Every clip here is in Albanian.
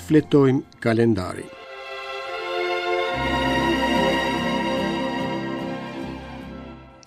Shfletojmë kalendarin.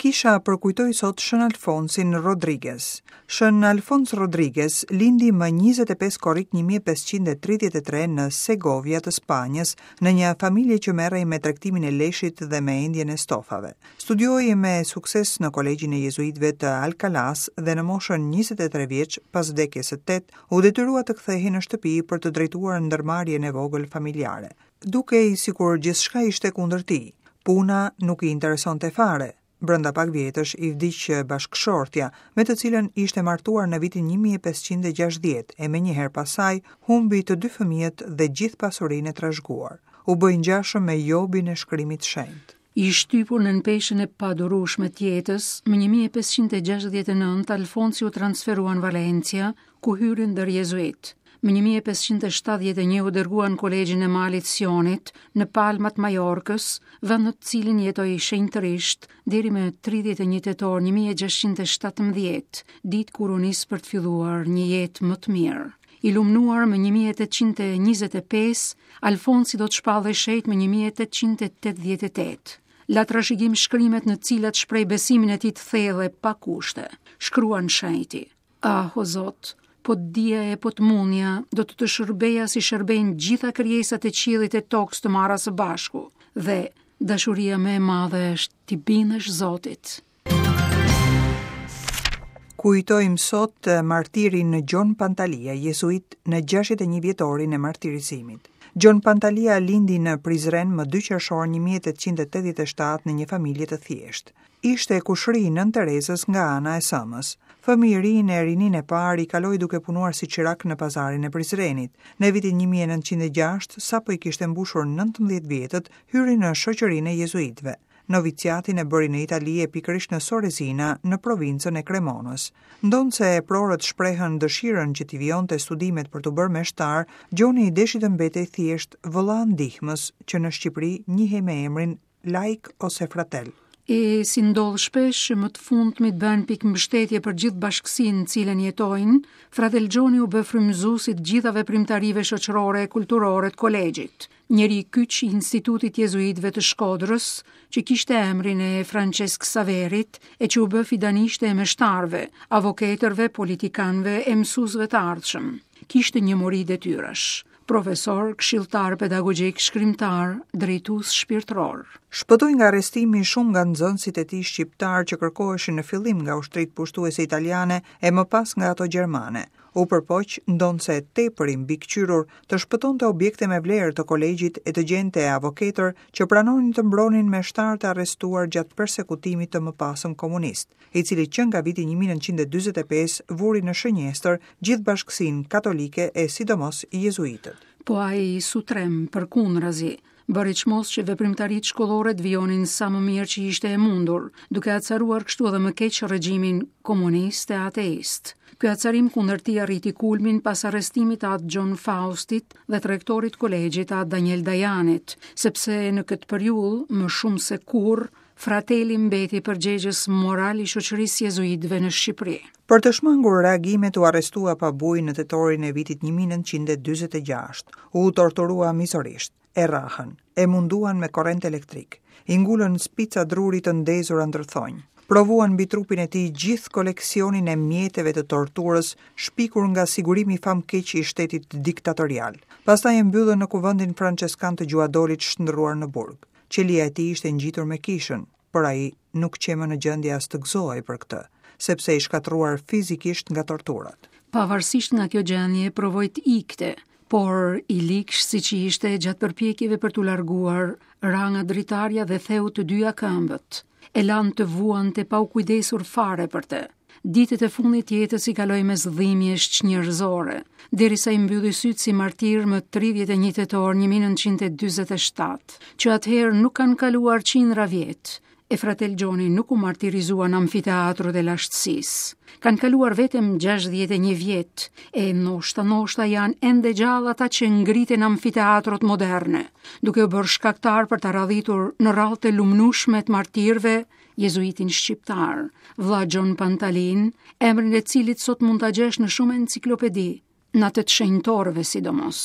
Kisha përkujtoi sot Shën Alfonsin Rodriguez. Shën Alfons Rodriguez lindi më 25 korrik 1533 në Segovia të Spanjës, në një familje që merrej me tregtimin e leshit dhe me endjen e stofave. Studioi me sukses në Kolegjin e Jezuitëve të Alcalas dhe në moshën 23 vjeç, pas vdekjes së tet, u detyrua të kthehej në shtëpi për të drejtuar ndërmarrjen e vogël familjare. Dukej sikur gjithçka ishte kundër tij. Puna nuk i interesonte fare. Brenda pak vjetësh i vdiq bashkëshortja, me të cilën ishte martuar në vitin 1560 e menjëherë pas saj humbi të dy fëmijët dhe gjithë pasurinë e trashëguar. U bë i ngjashëm me Jobin e shkrimit të shenjtë. I shtypur nën peshën e padurueshme të jetës, më 1569 Alfonsi u transferua në Valencia, ku hyri ndër jezuitë. Më 1571 u dërgua në Kolegjin e Malit Sionit, në Palma të Majorkës, vend në të cilin jetoi shenjtërisht deri më 31 tetor 1617, ditë kur u nis për të filluar një jetë më të mirë. I lumnuar më 1825, Alfonsi do të shpallej shenjt më 1888. La trashëgim shkrimet në të cilat shpreh besimin e tij të thellë e pa kushte. Shkruan shenjti. Ah, o Zot, po të dija e po të mundja, do të të shërbeja si shërbejnë gjitha krijesat e qiellit e tokës të marra së bashku. Dhe dashuria më e madhe është t'i bindesh Zotit. Kujtojmë sot martirin Gjon Pantalia, jezuit në 61 vjetorin e martirizimit. Gjon Pantalia lindi në Prizren më 2 qershor 1887 në një familje të thjeshtë. Ishte kushëri i Nënë Terezës nga ana e s'ëmës. Fëmijërinë e rininë e parë i kaloi duke punuar si çirak në pazarin e Prizrenit. Në vitin 1906, sapo i kishte mbushur 19 vjetët, hyri në shoqërinë e jezuitëve. Noviciatin e bëri në Itali e pikërisht në Sorezina, në provincën e Kremonës. Ndonëse eprorët shprehën dëshirën që t'i vijonte studimet për t'u bërë meshtar, Gjoni deshi të mbetej thjesht vëlla ndihmës, që në Shqipëri njihej me emrin laik ose fratel. E si ndodh shpesh që më të fundmit bëhen pikëmbështetje për gjithë bashkësinë në cilën jetojnë, Fratel Gjoni u bë frymëzues i të gjitha veprimtarive shoqërore e kulturore të kolegjit. Njeri kyç i Institutit Jezuitëve të Shkodrës, që kishte emrin e Françesk Ksaverit e që u bë fidanishte e meshtarëve, avokatërve, politikanëve e mësuesve të ardhshëm. Kishte një mori detyrash. Profesor, këshilltar pedagogjik, shkrimtar, drejtues shpirtëror. Shpëtoi nga arrestimi shumë nga nxënësit e tij shqiptarë që kërkoheshin në fillim nga ushtritë pushtuese italiane e më pas nga ato gjermane. U përpoq, ndonëse tepër i mbikëqyrur, të shpëtonte objekte me vlerë të kolegjit e të gjente avoketër që pranonin të mbronin meshtarët e arrestuar gjatë persekutimit të mëpasëm komunist. i cili që nga viti 1945 vuri në shënjestër gjithë bashkësinë katolike e sidomos jezuitët. Po ai s'u tremb, përkundrazi, bëri çmos që veprimtaritë shkollore të vijonin sa më mirë që ishte e mundur, duke acaruar kështu edhe më keq regjimin komunist e ateist. Ky acarim kundër tij arriti kulmin pas arrestimit të Atë Gjon Faustit dhe të rektorit të kolegjit Atë Daniel Dajanit, sepse në këtë periudhë, më shumë se kurrë, Frateli mbeti përgjegjës moral i shoqërisë së jezuitëve në Shqipëri. Për të shmangur reagimet u arrestua pa bujë në tetorin e vitit 1946. U torturua mizorisht, e rrahën, e munduan me korrent elektrik, i ngulën spica druri të ndezura ndër thonj. Provuan mbi trupin e tij gjithë koleksionin e mjeteve të torturës shpikur nga sigurimi famëkeq i shtetit diktatorial. Pastaj e mbyllën në kuvendin françeskan të Gjuhadolit shndërruar në burg. Qelia e tij ishte ngjitur me kishën, por ai nuk qe më në gjendje as të gëzohej për këtë, sepse i shkatërruar fizikisht nga torturat. Pavarësisht nga kjo gjendje, provoi të ikte, por i ligsh siç ishte gjatë përpjekjeve për t'u larguar, ra nga dritarja dhe theu të dyja këmbët. E lanë të vuante pa u kujdesur fare për të. Ditët e fundit të jetës i kaloi mes dhimbjesh çnjerëzore, derisa i mbylli sytë si martir më 31 tetor 1947, që atëherë nuk kanë kaluar qindra vjet, e Fratel Gjoni nuk u martirizua në amfiteatrot e lashtësisë. Kanë kaluar vetëm 61 vjet, e ndoshta ndoshta janë ende gjallë ata që ngritën amfiteatrot moderne, duke u bërë shkaktar për ta radhitur në radhët e lumnushme të martirëve jezuitin shqiptar, vëlla Gjon Pantalinë, emrin e cilit sot mund ta gjesh në shumë enciklopedi, në atë të shenjtorëve sidomos.